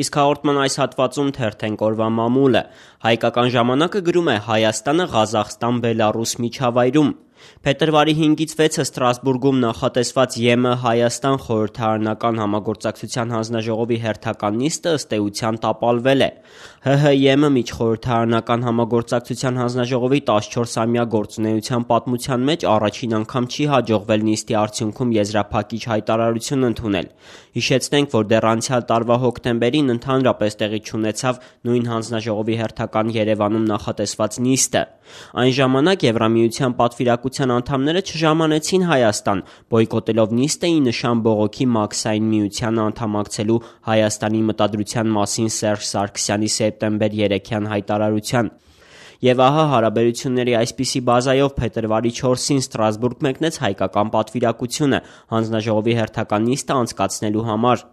Իսկ հաղորդման այս հատվածում թերթենք օրվա մամուլը։ Հայկական ժամանակը գրում է Հայաստանը Ղազախստան-Բելառուս միջավայրում։ Փետրվարի 5-ից 6-ը Ստրասբուրգում նախատեսված ԵՄ Հայաստան խորհրդարանական համագործակցության հանձնաժողովի հերթական նիստը ըստ էության տապալվել է։ ՀՀ-ԵՄ միջխորհրդարանական համագործակցության հանձնաժողովի 14-ամյա գործունեության պատմության մեջ առաջին անգամ չի հաջողվել նիստի արդյունքում եզրափակիչ հայտարարություն ընդունել։ Հիշեցնենք, որ դեռ անցյալ տարվա հոկտեմբերին ընդհանրապես տեղի չունեցավ նույն հանձնաժողովի հերթական Երևանում նախատեսված նիստը։ Այն ժամանակ Եվրամիության պատվիրակության անդամները չժամանեցին Հայաստան, բոյկոտելով նիստը ի նշան բողոքի Մաքսային միությանը անդամակցելու Հայաստանի մտադրության մասին Սերժ Սարգսյանի սեպտեմբեր 3-յան հայտարարության։ Եվ ահա հարաբերությունների այսպիսի բազայով փետրվարի 4-ին Ստրասբուրգ մեկնեց հայկական պատվիրակությունը հանձնաժողովի հերթական նիստը անցկացնելու համար։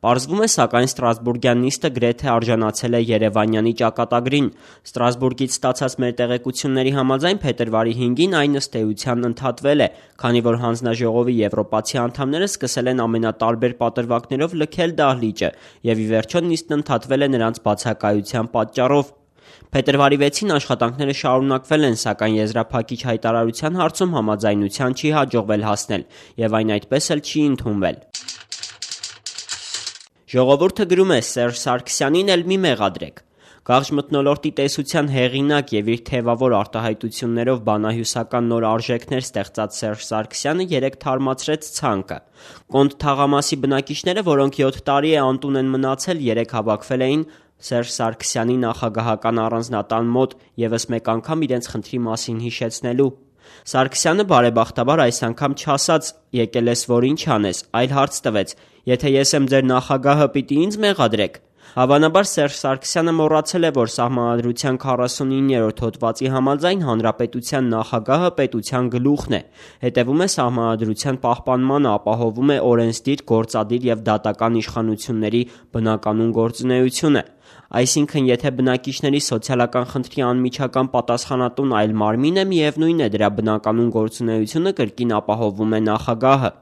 Պարզվում է, սակայն Ստրասբուրգյան նիստը գրեթե արժանացել է Երևանյանի ճակատագրին։ Ստրասբուրգից ստացած մեր տեղեկությունների համաձայն փետրվարի 5-ին այն ըստ էության ընդհատվել է, քանի որ հանձնաժողովի եվրոպացի անդամները սկսել են ամենատարբեր պատրվակներով լքել դահլիճը, եւ ի վերջո նիստն ընդհատվել է նրանց բացակայության պատճառով։ Փետրվարի 6-ին աշխատանքները շարունակվել են, սակայն եզրափակիչ հայտարարության հարցում համաձայնության չի հաջողվել հասնել, եւ այն այդպես էլ չի ընդունվել։ Ժողովուրդը գրում է Սերժ Սարգսյանին էլ մի մեղադրեք։ Գաղջ մթնոլորտի տեսության հեղինակ եւ իր թեվավոր արտահայտություններով բանահյուսական նոր արժեքներ ստեղծած Սերժ Սարգսյանը երեկ թարմացրեց ցանկը։ Կոնտ թաղամասի բնակիչները, որոնք 7 տարի է անտուն են մնացել, երեկ հավաքվել էին Սերժ Սարգսյանի նախագահական առանձնատան մոտ եւս մեկ անգամ իրենց խնդրի մասին հիշեցնելու։ Սարգսյանը բարեբախտաբար այս անգամ չասաց եկել ես որ ինչ անես, այլ հարց տվեց. եթե ես եմ ձեր նախագահը, պիտի ինձ մեղադրեք։ Հավանաբար Սերժ Սարգսյանը մոռացել է, որ Սահմանադրության 49-րդ հոդվածի համաձայն հանրապետության նախագահը պետության գլուխն է, հետևում է Սահմանադրության պահպանմանը, ապահովում է օրենսդիր, գործադիր եւ դատական իշխանությունների բնականոն գործունեությունը։ Այսինքն, եթե բնակիչների սոցիալական խնդրի անմիջական պատասխանատուն այլ մարմին է, միևնույն է, դրա բնականոն գործունեությունը կրկին ապահովում է նախագահը։